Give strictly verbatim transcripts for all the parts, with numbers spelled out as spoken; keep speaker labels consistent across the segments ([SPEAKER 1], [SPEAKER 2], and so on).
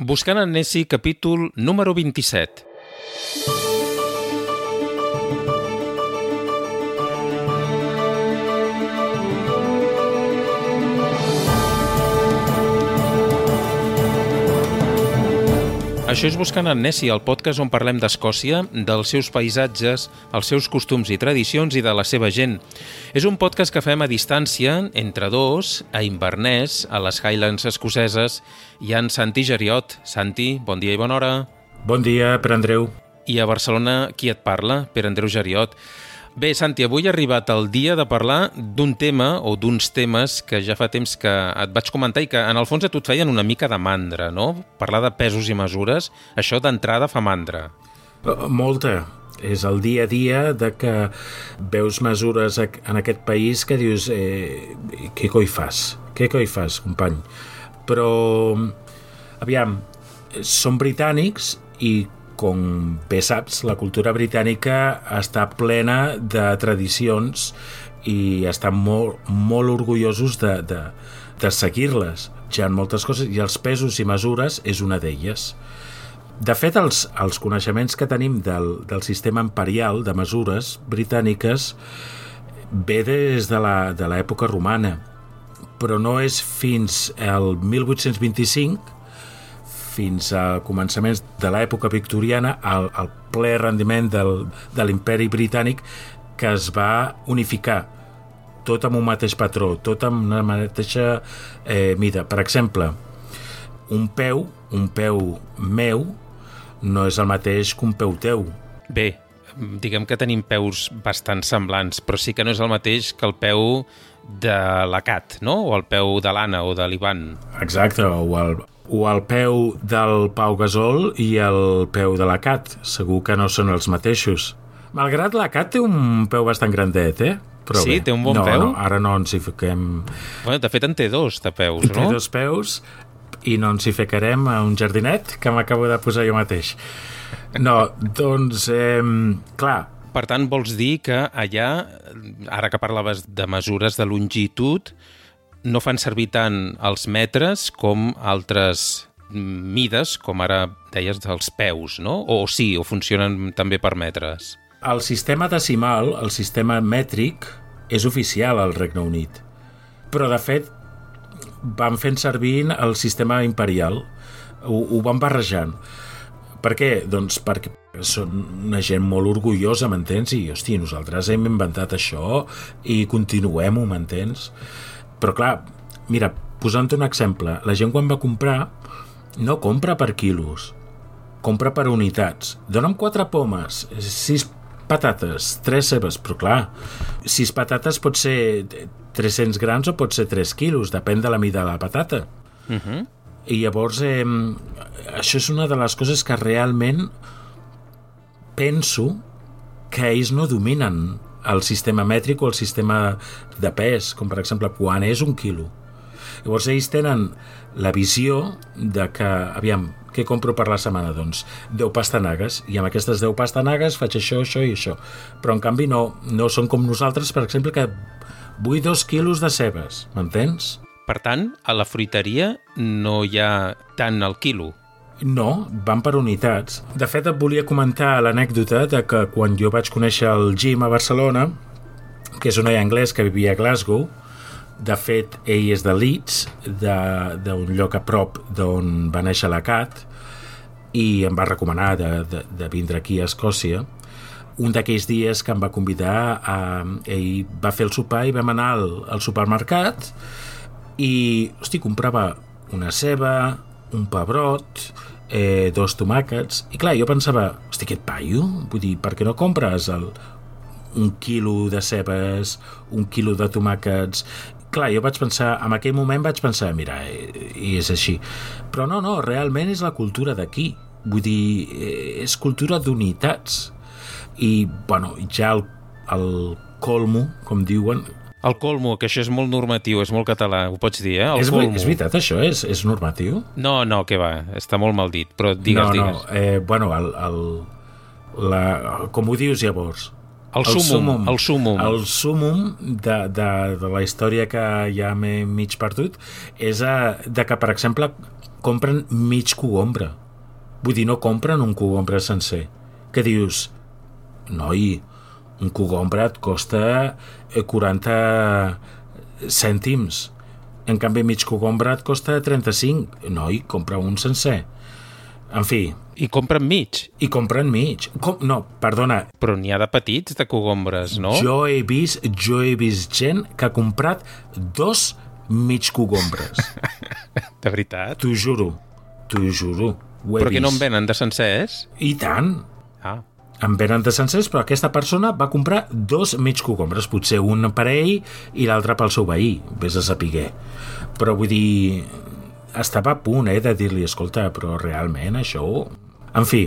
[SPEAKER 1] Buscant en Nessie, capítol número vint-i-set. Això és Buscant en Nessie, el podcast on parlem d'Escòcia, dels seus paisatges, els seus costums i tradicions i de la seva gent. És un podcast que fem a distància, entre dos, a Inverness, a les Highlands escoceses, hi ha en Santi Geriot. Santi, bon dia i bona hora.
[SPEAKER 2] Bon dia, Pere Andreu.
[SPEAKER 1] I a Barcelona, qui et parla? Pere Andreu Geriot. Bé, Santi, avui ha arribat el dia de parlar d'un tema o d'uns temes que ja fa temps que et vaig comentar i que en el fons a tu et feien una mica de mandra, no? Parlar de pesos i mesures, això d'entrada fa mandra.
[SPEAKER 2] Molta. És el dia a dia de que veus mesures en aquest país que dius eh, què coi fas? Què coi fas, company? Però, aviam, són britànics i com bé saps, la cultura britànica està plena de tradicions i estan molt, molt orgullosos de, de, de seguir-les. Hi ha moltes coses i els pesos i mesures és una d'elles. De fet, els, els coneixements que tenim del, del sistema imperial de mesures britàniques ve des de la, de l'època romana, però no és fins al mil vuit-cents vint-i-cinc fins a començaments de l'època victoriana, al, al ple rendiment del, de l'imperi britànic, que es va unificar tot amb un mateix patró, tot amb una mateixa eh, mida. Per exemple, un peu, un peu meu, no és el mateix que un peu teu.
[SPEAKER 1] Bé, diguem que tenim peus bastant semblants, però sí que no és el mateix que el peu de la Cat, no? O el peu de l'Anna o de l'Ivan.
[SPEAKER 2] Exacte, o el... o el peu del Pau Gasol i el peu de la Cat. Segur que no són els mateixos. Malgrat la Cat té un peu bastant grandet, eh? Però
[SPEAKER 1] sí,
[SPEAKER 2] bé,
[SPEAKER 1] té un bon
[SPEAKER 2] no,
[SPEAKER 1] peu?
[SPEAKER 2] No, ara no ens hi fiquem...
[SPEAKER 1] Bueno, de fet en té dos, de peus, no?
[SPEAKER 2] Té dos peus i no ens hi ficarem a un jardinet que m'acabo de posar jo mateix. No, doncs, eh, clar...
[SPEAKER 1] Per tant, vols dir que allà, ara que parlaves de mesures de longitud, no fan servir tant els metres com altres mides, com ara deies, dels peus, no? O sí, o funcionen també per metres?
[SPEAKER 2] El sistema decimal, el sistema mètric, és oficial al Regne Unit. Però, de fet, van fent servir el sistema imperial. Ho, ho van barrejant. Per què? Doncs perquè són una gent molt orgullosa, m'entens? I, hosti, nosaltres hem inventat això i continuem-ho, m'entens? Però clar, mira, posant un exemple, la gent quan va comprar no compra per quilos, compra per unitats. Dóna'm quatre pomes, sis patates, tres cebes, però clar, sis patates pot ser tres-cents grams o pot ser tres quilos, depèn de la mida de la patata.
[SPEAKER 1] Uh-huh.
[SPEAKER 2] I llavors, eh, això és una de les coses que realment penso que ells no dominen el sistema mètric o el sistema de pes, com per exemple quan és un quilo. Llavors ells tenen la visió de que, aviam, què compro per la setmana? Doncs deu pastanagues, i amb aquestes deu pastanagues faig això, això i això. Però en canvi no, no són com nosaltres, per exemple, que vull dos quilos de cebes, m'entens?
[SPEAKER 1] Per tant, a la fruiteria no hi ha tant al quilo.
[SPEAKER 2] No, van per unitats. De fet, et volia comentar l'anècdota de que quan jo vaig conèixer el Jim a Barcelona, que és un noi anglès que vivia a Glasgow, de fet, ell és de Leeds, d'un lloc a prop d'on va néixer la Cat, i em va recomanar de, de, de vindre aquí a Escòcia. Un d'aquells dies que em va convidar, a, ell va fer el sopar i vam anar al, al supermercat i, hosti, comprava una ceba, un pebrot, eh, dos tomàquets, i clar, jo pensava, hosti, aquest paio, vull dir, per què no compres el, un quilo de cebes, un quilo de tomàquets? Clar, jo vaig pensar, en aquell moment vaig pensar, mira, eh, i és així. Però no, no, realment és la cultura d'aquí, vull dir, eh, és cultura d'unitats. I, bueno, ja el, el colmo, com diuen...
[SPEAKER 1] El colmo, que això és molt normatiu, és molt català, ho pots dir, eh? El
[SPEAKER 2] és,
[SPEAKER 1] colmo.
[SPEAKER 2] És veritat, això és, és normatiu?
[SPEAKER 1] No, no, què va, està molt mal dit, però digues,
[SPEAKER 2] no,
[SPEAKER 1] digues.
[SPEAKER 2] No, eh, bueno, el, el, la, com ho dius llavors?
[SPEAKER 1] El, el súmum, el súmum.
[SPEAKER 2] El súmum de, de, de la història que ja m'he mig perdut és a, de que, per exemple, compren mig cogombre. Vull dir, no compren un cogombre sencer. Que dius, noi, un cogombre et costa quaranta cèntims. En canvi, mig cogombre et costa trenta-cinc. Noi, compra un sencer. En fi...
[SPEAKER 1] I compren mig.
[SPEAKER 2] I compren mig. Com... No, perdona.
[SPEAKER 1] Però n'hi ha de petits, de cogombres, no?
[SPEAKER 2] Jo he vist, jo he vist gent que ha comprat dos mig cogombres.
[SPEAKER 1] De veritat?
[SPEAKER 2] T'ho juro, t'ho juro. Ho he
[SPEAKER 1] però que
[SPEAKER 2] vist.
[SPEAKER 1] no en venen de sencers?
[SPEAKER 2] I tant.
[SPEAKER 1] Ah.
[SPEAKER 2] En venen de sencers, però aquesta persona va comprar dos mig cogombres, potser un per ell i l'altre pel seu veí, vés a saber. Però vull dir, estava a punt eh, de dir-li, escolta, però realment això... En fi,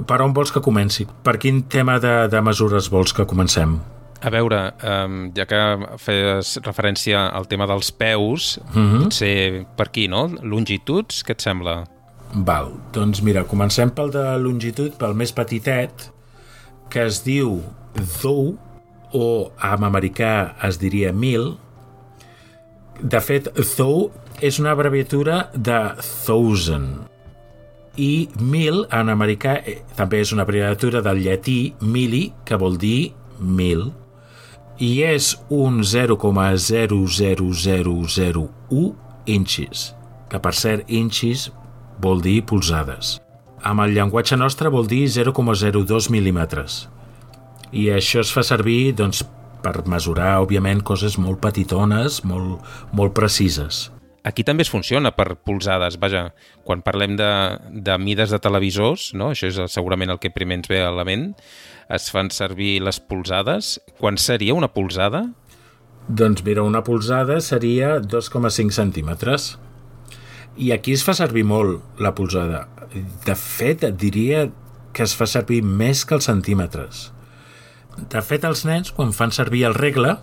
[SPEAKER 2] per on vols que comenci? Per quin tema de, de mesures vols que comencem?
[SPEAKER 1] A veure, um, ja que feies referència al tema dels peus,
[SPEAKER 2] Mm-hmm.
[SPEAKER 1] potser per aquí, no? Longituds, què et sembla?
[SPEAKER 2] Val, doncs mira, comencem pel de longitud, pel més petitet, que es diu thou, o en americà es diria mil. De fet, thou és una abreviatura de thousand, i mil en americà eh, també és una abreviatura del llatí mili, que vol dir mil, i és un zero coma zero zero zero zero u inches, que per cert inches vol dir polzades. Amb el llenguatge nostre vol dir zero coma zero dos mil·límetres. I això es fa servir doncs, per mesurar, òbviament, coses molt petitones, molt, molt precises.
[SPEAKER 1] Aquí també es funciona per polzades. Vaja, quan parlem de, de mides de televisors, no? Això és segurament el que primer ens ve a la ment, es fan servir les polzades. Quan seria una polzada?
[SPEAKER 2] Doncs mira, una polzada seria dos coma cinc centímetres. I aquí es fa servir molt la polzada. De fet, et diria que es fa servir més que els centímetres. De fet, els nens, quan fan servir el regle,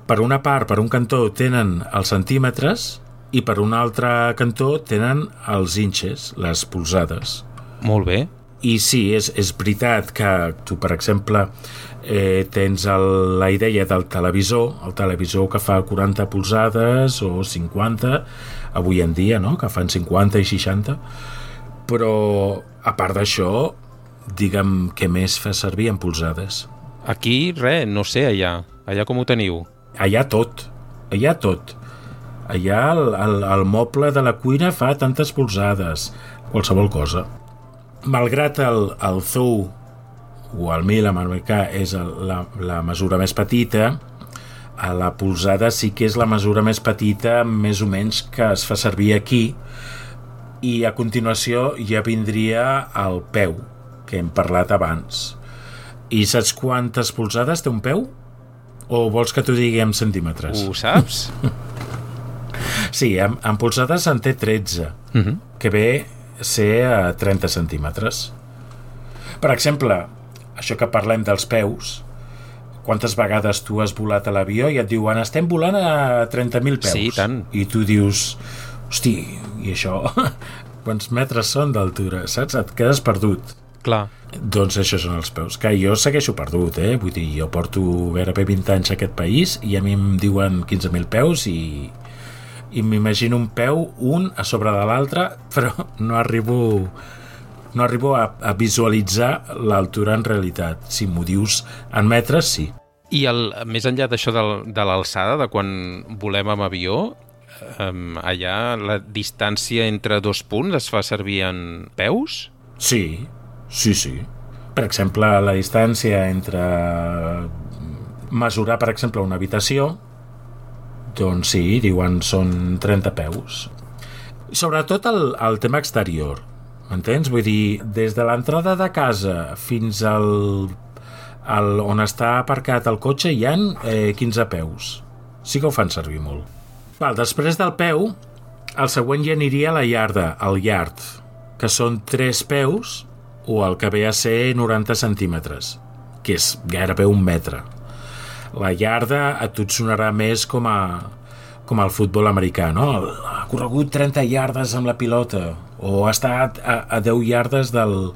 [SPEAKER 2] per una part, per un cantó, tenen els centímetres i per un altre cantó tenen els inches, les polzades.
[SPEAKER 1] Molt bé.
[SPEAKER 2] I sí, és, és veritat que tu, per exemple, eh, tens el, la idea del televisor, el televisor que fa quaranta polzades o cinquanta, avui en dia, no?, que fan cinquanta i seixanta, però a part d'això, digue'm què més fa servir en polzades.
[SPEAKER 1] Aquí, res, no sé, allà. Allà com ho teniu?
[SPEAKER 2] Allà tot, allà tot. Allà el, el, el moble de la cuina fa tantes polzades, qualsevol cosa. Malgrat el, el thou o el mil en americà és el, la, la mesura més petita, a la polzada sí que és la mesura més petita més o menys que es fa servir aquí, i a continuació ja vindria el peu, que hem parlat abans. I saps quantes polzades té un peu? O vols que t'ho digui en centímetres?
[SPEAKER 1] Ho saps?
[SPEAKER 2] Sí, en, en polzades en té tretze,
[SPEAKER 1] Uh-huh.
[SPEAKER 2] que ve a ser a trenta centímetres. Per exemple, això que parlem dels peus, quantes vegades tu has volat a l'avió i et diuen estem volant a trenta mil peus.
[SPEAKER 1] Sí, tant.
[SPEAKER 2] I tu dius, hosti, i això, quants metres són d'altura, saps? Et quedes perdut.
[SPEAKER 1] Clar.
[SPEAKER 2] Doncs això són els peus, que jo segueixo perdut, eh? Vull dir, jo porto gairebé vint anys a aquest país i a mi em diuen quinze mil peus i, i m'imagino un peu, un a sobre de l'altre, però no arribo, no arribo a, a visualitzar l'altura en realitat. Si m'ho dius en metres, sí.
[SPEAKER 1] I el, més enllà d'això del, de l'alçada, de quan volem amb avió, um, allà la distància entre dos punts es fa servir en peus?
[SPEAKER 2] Sí, sí, sí. Per exemple, la distància entre mesurar, per exemple, una habitació, doncs sí, diuen són trenta peus. Sobretot el, el tema exterior, m'entens? Vull dir, des de l'entrada de casa fins al, al on està aparcat el cotxe hi ha eh, quinze peus. Sí que ho fan servir molt. Val, després del peu, el següent ja aniria a la iarda, al yard, que són tres peus o el que ve a ser noranta centímetres, que és gairebé un metre. La iarda a tu et sonarà més com a com al futbol americà, no? Ha corregut trenta iardes amb la pilota o ha estat a, a deu iardes del,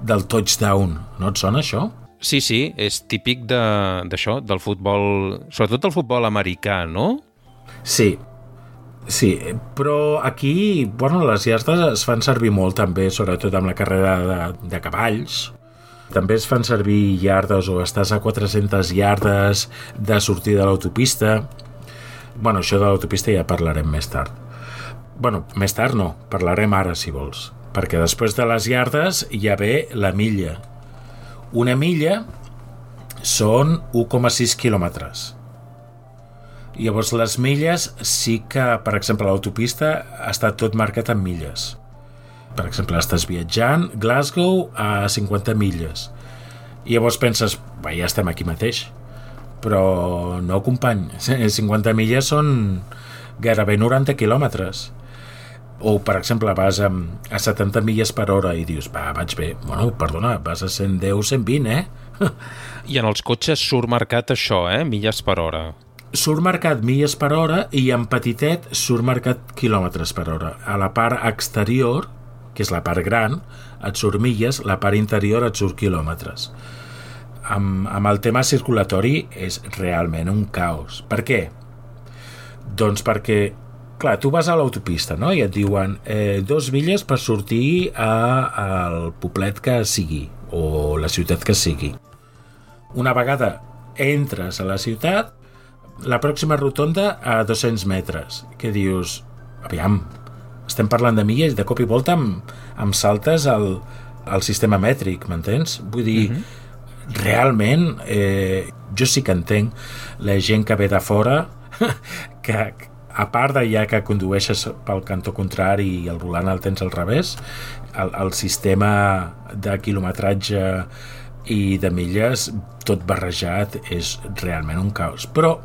[SPEAKER 2] del touchdown. No et sona això?
[SPEAKER 1] Sí, sí, és típic de, d'això, del futbol, sobretot del futbol americà, no?
[SPEAKER 2] Sí. Sí, però aquí, bueno, les iardes es fan servir molt també, sobretot amb la carrera de, de cavalls. També es fan servir iardes o estàs a quatre-centes iardes de sortir de l'autopista. Bueno, això de l'autopista ja parlarem més tard. Bueno, més tard no, parlarem ara si vols, perquè després de les iardes ja ve la milla. Una milla són u coma sis quilòmetres. Llavors les milles sí que, per exemple, l'autopista està tot marcat en milles. Per exemple, estàs viatjant Glasgow a cinquanta milles. I llavors penses, bé, ja estem aquí mateix. Però no, company, cinquanta milles són gairebé noranta quilòmetres. O, per exemple, vas a, a setanta milles per hora i dius, va, vaig bé. Bueno, perdona, vas a cent deu, cent vint, eh?
[SPEAKER 1] I en els cotxes surt marcat això, eh? Milles per hora.
[SPEAKER 2] Surt marcat milles per hora i en petitet surt marcat quilòmetres per hora. A la part exterior, que és la part gran, et surt milles, la part interior et surt quilòmetres. Amb, amb el tema circulatori és realment un caos. Per què? Doncs perquè, clar, tu vas a l'autopista, no? I et diuen eh, dos milles per sortir a, al poblet que sigui o la ciutat que sigui. Una vegada entres a la ciutat, la pròxima rotonda a dos-cents metres, que dius, aviam, estem parlant de milles, de cop i volta em, em saltes al, al sistema mètric, m'entens? Vull dir, uh-huh. realment, eh, jo sí que entenc la gent que ve de fora, que a part de ja que condueixes pel cantó contrari i el volant el tens al revés, el, el sistema de quilometratge i de milles, tot barrejat, és realment un caos. Però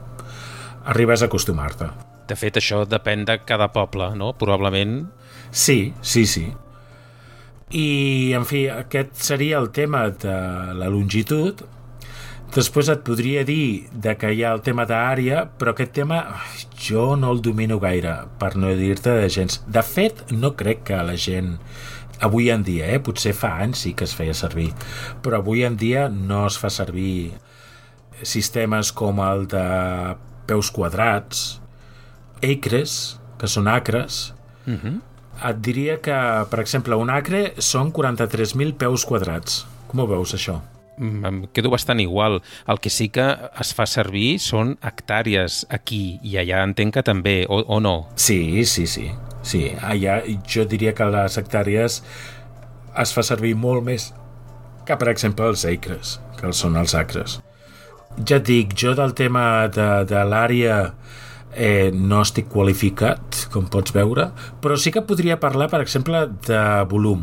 [SPEAKER 2] arribes a acostumar-te.
[SPEAKER 1] De fet, això depèn de cada poble, no? Probablement.
[SPEAKER 2] Sí, sí, sí. I, en fi, aquest seria el tema de la longitud. Després et podria dir de que hi ha el tema d'àrea, però aquest tema jo no el domino gaire, per no dir-te de gens. De fet, no crec que la gent avui en dia, eh? Potser fa anys sí que es feia servir, però avui en dia no es fa servir sistemes com el de peus quadrats, acres, que són acres.
[SPEAKER 1] Uh-huh.
[SPEAKER 2] Et diria que, per exemple, un acre són quaranta-tres mil peus quadrats. Com ho veus, això?
[SPEAKER 1] Em quedo bastant igual. El que sí que es fa servir són hectàrees aquí, i allà entenc que també, o, o no?
[SPEAKER 2] Sí, sí, sí. sí. Allà jo diria que les hectàrees es fa servir molt més que, per exemple, els acres, que són els acres. Ja et dic, jo del tema de, de l'àrea eh, no estic qualificat, com pots veure, però sí que podria parlar, per exemple, de volum.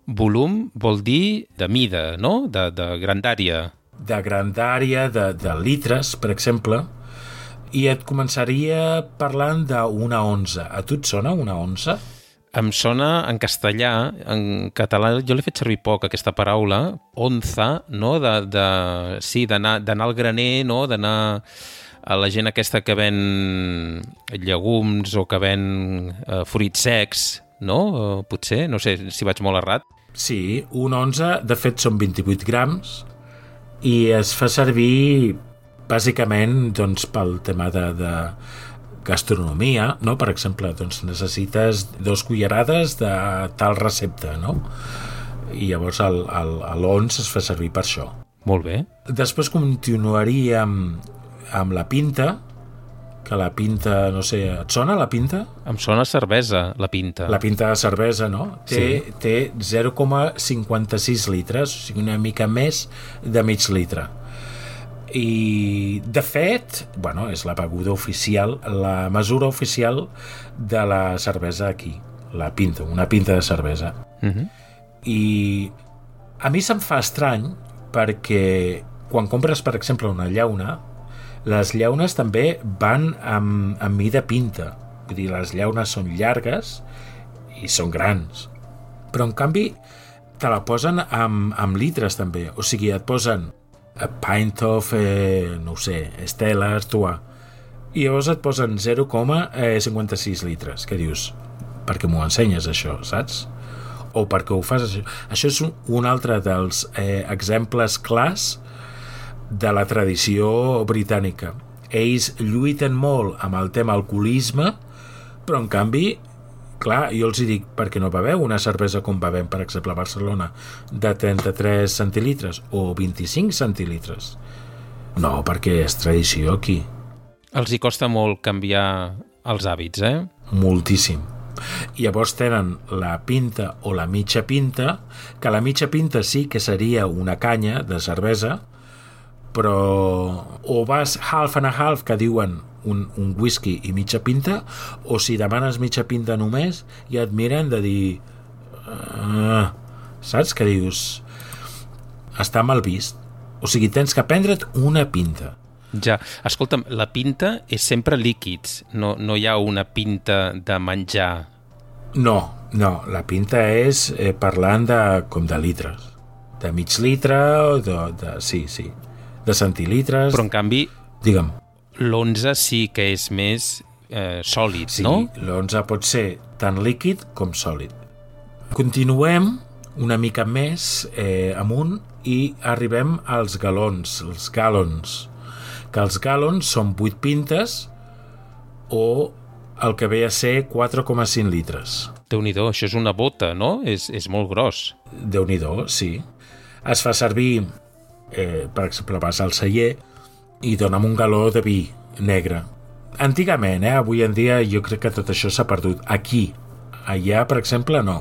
[SPEAKER 1] Volum vol dir de mida, no? De, de grandària.
[SPEAKER 2] De grandària, de, de litres, per exemple, i et començaria parlant d'una onza. A tu et sona una onza?
[SPEAKER 1] Em sona en castellà, en català jo l'he fet servir poc, aquesta paraula, onza, no? De, de, sí, d'anar al graner, no? D'anar a la gent aquesta que ven llegums o que ven eh, fruits secs, no? Eh, potser, no sé si vaig molt errat.
[SPEAKER 2] Sí, un onza, de fet, són vint-i-vuit grams i es fa servir bàsicament doncs, pel tema de... de gastronomia, no? Per exemple, doncs necessites dos cullerades de tal recepta, no? I llavors l'ons es fa servir per això.
[SPEAKER 1] Molt bé.
[SPEAKER 2] Després continuaria amb, amb la pinta, que la pinta, no sé, et sona la pinta?
[SPEAKER 1] Em sona cervesa, la pinta.
[SPEAKER 2] La pinta de cervesa, no? Té,
[SPEAKER 1] sí.
[SPEAKER 2] té zero coma cinquanta-sis litres, o sigui, una mica més de mig litre. I, de fet, bueno, és la beguda oficial, la mesura oficial de la cervesa aquí, la pinta, una pinta de cervesa.
[SPEAKER 1] Uh-huh.
[SPEAKER 2] I a mi se'm fa estrany perquè quan compres, per exemple, una llauna, les llaunes també van amb, amb mida pinta. Vull dir, les llaunes són llargues i són grans. Però, en canvi, te la posen amb, amb litres, també. O sigui, et posen a pint of, eh, no ho sé, Stella Artois. I llavors et posen zero coma cinquanta-sis litres. Què dius? Per què m'ho ensenyes, això, saps? O per què ho fas, això? Això és un, un altre dels eh, exemples clars de la tradició britànica. Ells lluiten molt amb el tema alcoholisme, Però, en canvi, clar, jo els hi dic, per què no beveu una cervesa com bevem, per exemple, a Barcelona, de trenta-tres centilitres o vint-i-cinc centilitres? No, perquè és tradició aquí.
[SPEAKER 1] Els hi costa molt canviar els hàbits, eh?
[SPEAKER 2] Moltíssim. Llavors tenen la pinta o la mitja pinta, que la mitja pinta sí que seria una canya de cervesa, però o vas half and a half, que diuen un, un whisky i mitja pinta, o si demanes mitja pinta només, ja et miren de dir uh, saps? Que dius està mal vist. O sigui, tens que prendre't una pinta.
[SPEAKER 1] Ja, escolta'm, la pinta és sempre líquids, no, no hi ha una pinta de menjar.
[SPEAKER 2] No, no, la pinta és eh, parlant de, com de litres, de mig litre o de, de, sí, sí, de centilitres.
[SPEAKER 1] Però en canvi,
[SPEAKER 2] digue'm,
[SPEAKER 1] l'onze sí que és més eh, sòlid,
[SPEAKER 2] sí,
[SPEAKER 1] no?
[SPEAKER 2] Sí, l'onze pot ser tant líquid com sòlid. Continuem una mica més eh, amunt i arribem als galons, els gallons, que els gallons són vuit pintes o el que ve a ser quatre coma cinc litres.
[SPEAKER 1] Déu-n'hi-do, això és una bota, no? És, és molt gros.
[SPEAKER 2] Déu-n'hi-do, sí. Es fa servir, eh, per exemple, vas al celler i dona'm un galó de vi negre. Antigament, eh, avui en dia jo crec que tot això s'ha perdut. Aquí, allà, per exemple, no.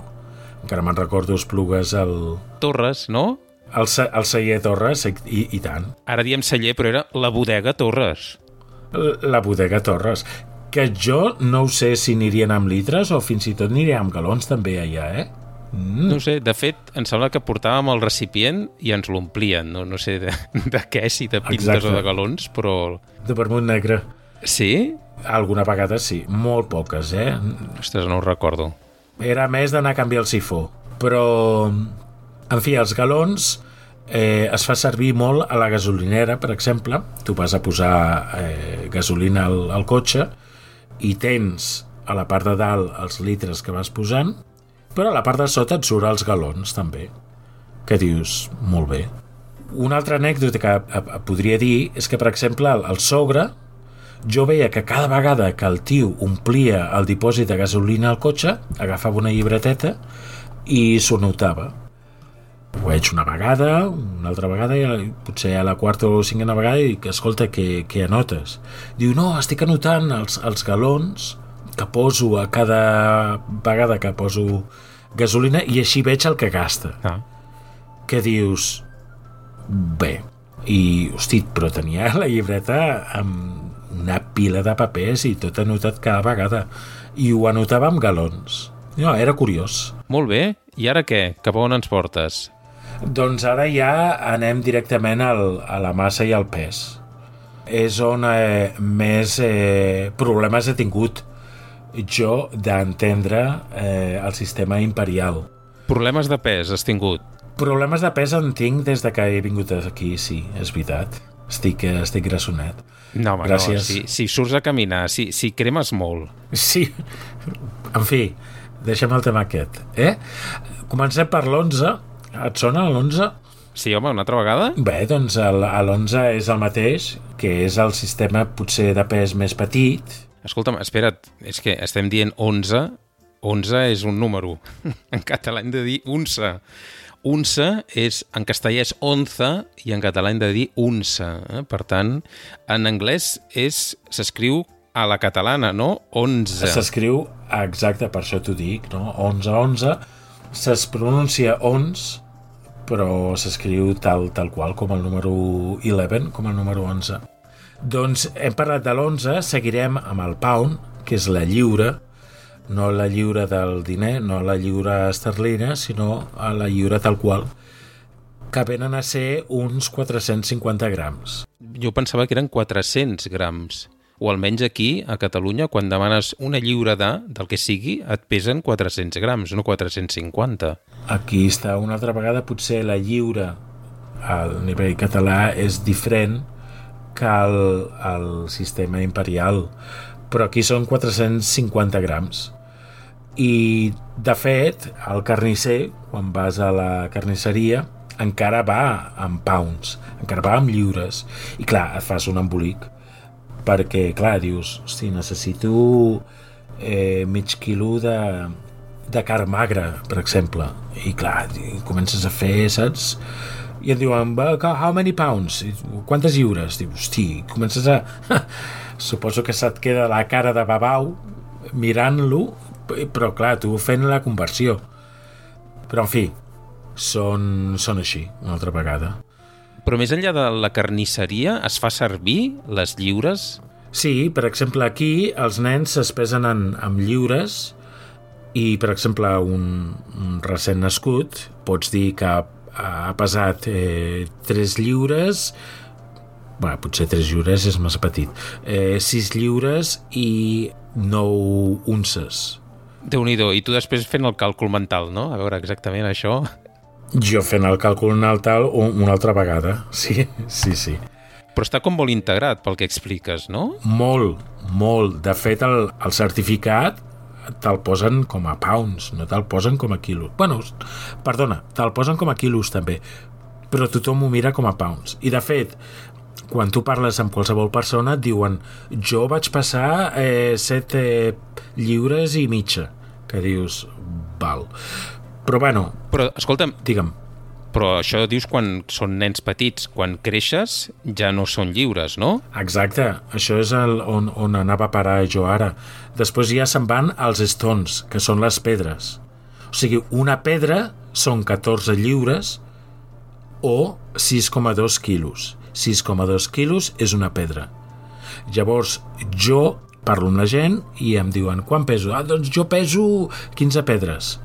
[SPEAKER 2] Encara me'n recordo Esplugues al...
[SPEAKER 1] Torres, no?
[SPEAKER 2] El, el celler Torres, i, i tant.
[SPEAKER 1] Ara diem celler, però era la bodega Torres.
[SPEAKER 2] La bodega Torres, que jo no ho sé si anirien amb litres o fins i tot anirien amb galons també allà, eh?
[SPEAKER 1] Mm. No sé, de fet, em sembla que portàvem el recipient i ens l'omplien, no, no sé de, de què, si de pintes Exacte. O de galons, però...
[SPEAKER 2] De vermut negre.
[SPEAKER 1] Sí?
[SPEAKER 2] Alguna vegada sí, molt poques, eh?
[SPEAKER 1] Ostres, no ho recordo.
[SPEAKER 2] Era més d'anar a canviar el sifó, però... En fi, els galons eh, es fa servir molt a la gasolinera, per exemple. Tu vas a posar eh, gasolina al, al cotxe i tens a la part de dalt els litres que vas posant, però a la part de sota et surt els galons, també. Que dius, molt bé. Una altra anècdota que a, a, podria dir és que, per exemple, el, el sogre, jo veia que cada vegada que el tio omplia el dipòsit de gasolina al cotxe, agafava una llibreteta i s'ho notava. Ho veig una vegada, una altra vegada, i potser a la quarta o cinquena vegada, i que escolta, què, què anotes? Diu, no, estic anotant els, els galons que poso a cada vegada que poso gasolina i així veig el que gasta.
[SPEAKER 1] Ah.
[SPEAKER 2] Que dius, bé, i, hosti, però tenia la llibreta amb una pila de papers i tot anotat cada vegada. I ho anotava amb galons. No, era curiós.
[SPEAKER 1] Molt bé. I ara què? Cap a on ens portes?
[SPEAKER 2] Doncs ara ja anem directament al, a la massa i al pes. És on eh, més eh, problemes he tingut jo d'entendre eh, el sistema imperial.
[SPEAKER 1] Problemes de pes has tingut?
[SPEAKER 2] Problemes de pes en tinc des de que he vingut aquí, sí, és veritat. Estic, estic grassonet.
[SPEAKER 1] No, home,
[SPEAKER 2] Gràcies.
[SPEAKER 1] no, si, si surts a caminar, si, si cremes molt.
[SPEAKER 2] Sí, en fi, deixem el tema aquest. Eh? Comencem per l'onze. Et sona l'onze?
[SPEAKER 1] Sí, home, una altra vegada?
[SPEAKER 2] Bé, doncs l'onze és el mateix, que és el sistema potser de pes més petit.
[SPEAKER 1] Escolta'm, espera't, és que estem dient onze. onze és un número. En català hem de dir unça. Unça és, en castellà és onza i en català hem de dir unça. Eh? Per tant, en anglès és, s'escriu a la catalana, no? onze.
[SPEAKER 2] S'escriu, exacte, per això t'ho dic, no? onze, onze. Es pronuncia ons, però s'escriu tal, tal qual, com el número onze, com el número onze. Doncs hem parlat de l'onze, seguirem amb el pound, que és la lliura, no la lliura del diner, no la lliura esterlina, sinó a la lliura tal qual, que venen a ser uns quatre-cents cinquanta grams.
[SPEAKER 1] Jo pensava que eren quatre-cents grams. O almenys aquí, a Catalunya, quan demanes una lliura de, del que sigui, et pesen quatre-cents grams, no quatre-cents cinquanta.
[SPEAKER 2] Aquí està una altra vegada, potser la lliura al nivell català és diferent que el, el sistema imperial, però aquí són quatre-cents cinquanta grams. I, de fet, el carnisser, quan vas a la carnisseria, encara va amb pounds, encara va amb lliures. I clar, et fas un embolic, perquè, clar, dius, hosti, necessito eh, mig quilo de, de carn magra, per exemple. I clar, i comences a fer, saps? I et diuen, how many pounds? Quantes lliures? Dius, hosti, comences a... Suposo que se't queda la cara de babau mirant-lo, però clar, tu fent la conversió. Però en fi, són, són així, una altra vegada.
[SPEAKER 1] Però més enllà de la carnisseria, es fa servir les lliures?
[SPEAKER 2] Sí, per exemple, aquí els nens es pesen en, en lliures i, per exemple, un, un recent nascut pots dir que ha pesat eh, tres lliures, bé, potser tres lliures és massa petit, eh, sis lliures i nou unces.
[SPEAKER 1] Déu-n'hi-do, i tu després fent el càlcul mental, no? A veure exactament això.
[SPEAKER 2] Jo fent el càlcul mental una altra vegada, sí, sí, sí.
[SPEAKER 1] Però està com molt integrat pel que expliques, no?
[SPEAKER 2] Molt, molt. De fet, el, el certificat te'l posen com a pounds, no te'l posen com a quilos. Bueno, perdona, te'l posen com a quilos també, però tothom ho mira com a pounds. I de fet, quan tu parles amb qualsevol persona et diuen jo vaig passar eh, set eh, lliures i mitja, que dius, val. Però bueno...
[SPEAKER 1] Però, escolta'm...
[SPEAKER 2] Digue'm.
[SPEAKER 1] Però això dius quan són nens petits. Quan creixes ja no són lliures, no?
[SPEAKER 2] Exacte. Això és el, on, on anava a parar jo ara. Després ja se'n van als stones, que són les pedres. O sigui, una pedra són catorze lliures o sis coma dos quilos. sis coma dos quilos és una pedra. Llavors, jo parlo amb la gent i em diuen, quan peso? Ah, doncs jo peso quinze pedres.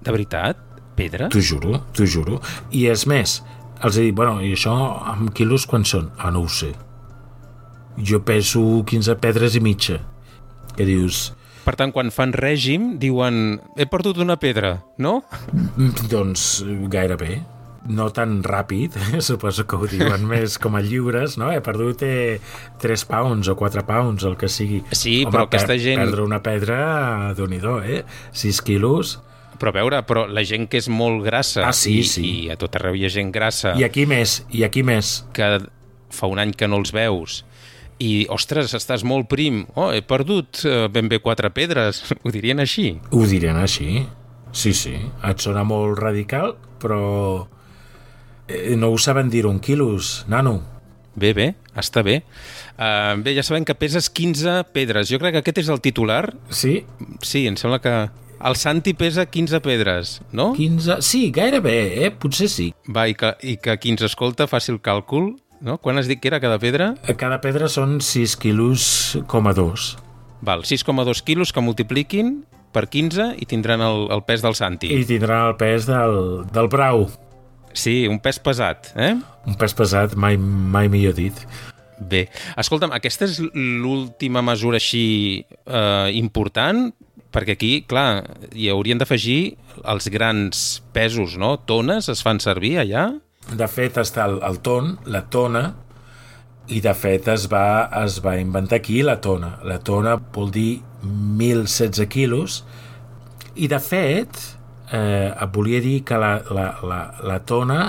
[SPEAKER 1] De veritat? Pedra?
[SPEAKER 2] T'ho juro, t'ho juro. I és més, els he dit, bueno, i això amb quilos quan són? Ah, no ho sé. Jo peso quinze pedres i mitja. Que dius...
[SPEAKER 1] Per tant, quan fan règim, diuen, he perdut una pedra, no?
[SPEAKER 2] Doncs gairebé. No tan ràpid, suposo que ho diuen més com a lliures, no? He perdut eh, tres pounds o quatre pounds, el que sigui.
[SPEAKER 1] Sí,
[SPEAKER 2] home,
[SPEAKER 1] però aquesta
[SPEAKER 2] per,
[SPEAKER 1] gent...
[SPEAKER 2] Perdre una pedra, Déu-n'hi-do, eh? sis quilos...
[SPEAKER 1] Però a veure, però la gent que és molt grassa,
[SPEAKER 2] ah, sí,
[SPEAKER 1] i,
[SPEAKER 2] sí.
[SPEAKER 1] i a tot arreu hi ha gent grassa...
[SPEAKER 2] I aquí més, i aquí més.
[SPEAKER 1] Que fa un any que no els veus, i, ostres, estàs molt prim, oh, he perdut eh, ben bé quatre pedres, ho dirien així?
[SPEAKER 2] Ho dirien així, sí, sí. Et sona molt radical, però eh, no ho saben dir en quilos, nano.
[SPEAKER 1] Bé, bé, està bé. Uh, bé, ja sabem que peses quinze pedres. Jo crec que aquest és el titular.
[SPEAKER 2] Sí?
[SPEAKER 1] Sí, em sembla que... El Santi pesa quinze pedres, no?
[SPEAKER 2] quinze... Sí, gairebé, eh? Potser sí.
[SPEAKER 1] Va, i que, i que qui ens escolta faci el càlcul, no? Quan has dit que era cada pedra?
[SPEAKER 2] Cada pedra són sis quilos coma dos.
[SPEAKER 1] Val, sis coma dos quilos que multipliquin per quinze i tindran el, el pes del Santi.
[SPEAKER 2] I tindran el pes del, del brau.
[SPEAKER 1] Sí, un pes pesat, eh?
[SPEAKER 2] Un pes pesat, mai, mai millor dit.
[SPEAKER 1] Bé, escolta'm, aquesta és l'última mesura així eh, important, perquè aquí, clar, hi haurien d'afegir els grans pesos, no? Tones es fan servir allà?
[SPEAKER 2] De fet, està el, el ton, la tona, i de fet es va, es va inventar aquí la tona. La tona vol dir mil setze quilos, i de fet, eh, et volia dir que la, la, la, la tona,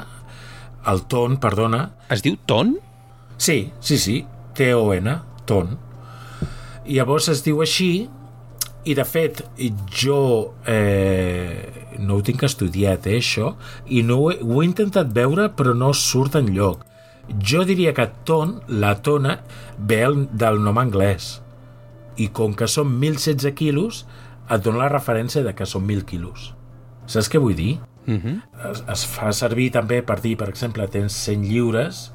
[SPEAKER 2] el ton, perdona...
[SPEAKER 1] Es diu ton?
[SPEAKER 2] Sí, sí, sí, T O N, ton. I llavors es diu així, i de fet jo eh, no ho tinc estudiat, eh, això, i no ho he, ho he intentat veure però no surt enlloc. Jo diria que ton, la tona, ve del nom anglès, i com que són mil setze quilos et dona la referència de que són mil quilos. Saps què vull dir?
[SPEAKER 1] Uh-huh.
[SPEAKER 2] Es, es fa servir també per dir, per exemple, tens cent lliures,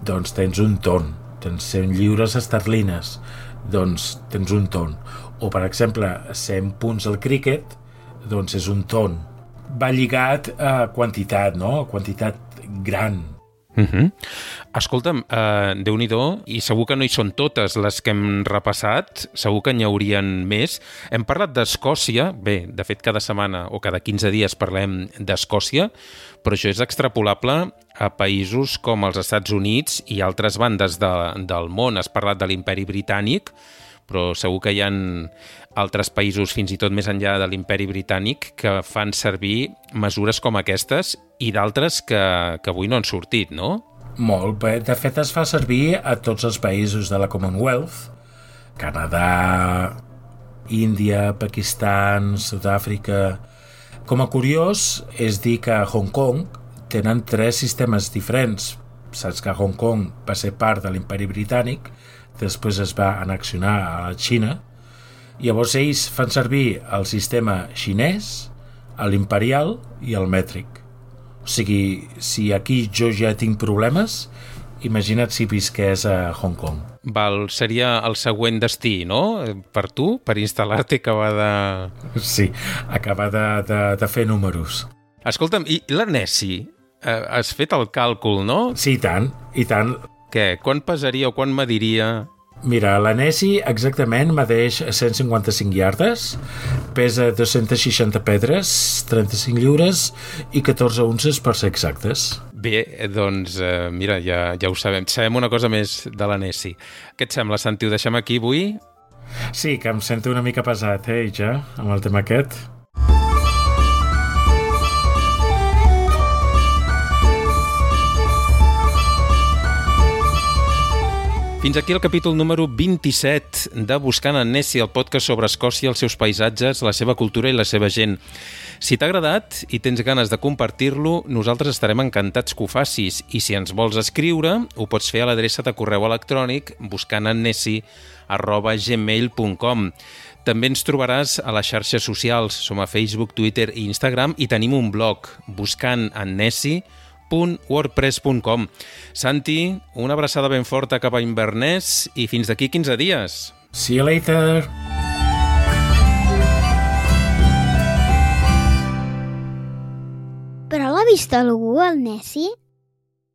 [SPEAKER 2] doncs tens un ton. Tens cent lliures esterlines, doncs tens un ton. O, per exemple, cent punts al críquet, doncs és un ton. Va lligat a quantitat, no? A quantitat gran.
[SPEAKER 1] Uh-huh. Escolta'm, uh, Déu-n'hi-do, i segur que no hi són totes les que hem repassat, segur que n'hi haurien més. Hem parlat d'Escòcia, bé, de fet cada setmana o cada quinze dies parlem d'Escòcia, però això és extrapolable a països com els Estats Units i altres bandes de, del món. Has parlat de l'Imperi Britànic, però segur que hi ha altres països, fins i tot més enllà de l'Imperi Britànic, que fan servir mesures com aquestes i d'altres que, que avui no han sortit, no?
[SPEAKER 2] Molt bé. De fet, es fa servir a tots els països de la Commonwealth, Canadà, Índia, Pakistan, Sud-àfrica. Com a curiós és dir que a Hong Kong tenen tres sistemes diferents. Saps que Hong Kong va ser part de l'imperi britànic, després es va annexionar a la Xina, i llavors ells fan servir el sistema xinès, l'imperial i el mètric. O sigui, si aquí jo ja tinc problemes, imagina't si visqués a Hong Kong.
[SPEAKER 1] Val, seria el següent destí, no? Per tu, per instal·lar-te i acabar de...
[SPEAKER 2] Sí, acabar de, de, de fer números.
[SPEAKER 1] Escolta'm, i la Nessie? Eh, has fet el càlcul, no?
[SPEAKER 2] Sí, i tant, i tant.
[SPEAKER 1] Què? Quan pesaria o quan mediria?
[SPEAKER 2] Mira, la Nessie exactament medeix cent cinquanta-cinc iardes, pesa dos-centes seixanta pedres, trenta-cinc lliures i catorze unces per ser exactes.
[SPEAKER 1] Bé, doncs, eh, mira, ja, ja ho sabem. Sabem una cosa més de la Nessie. Què et sembla, Santi? Ho deixem aquí avui?
[SPEAKER 2] Sí, que em sento una mica pesat, eh, ja, amb el tema aquest.
[SPEAKER 1] Fins aquí el capítol número vint-i-set de Buscant en Nessie, el podcast sobre Escòcia, els seus paisatges, la seva cultura i la seva gent. Si t'ha agradat i tens ganes de compartir-lo, nosaltres estarem encantats que ho facis. I si ens vols escriure, ho pots fer a l'adreça de correu electrònic buscantennessie arroba gmail punt com. També ens trobaràs a les xarxes socials. Som a Facebook, Twitter i Instagram i tenim un blog, buscantennessie punt wordpress punt com. Santi, una abraçada ben forta cap a Inverness i fins d'aquí quinze dies.
[SPEAKER 2] See you later!
[SPEAKER 3] Però l'ha vist algú, el Nessie?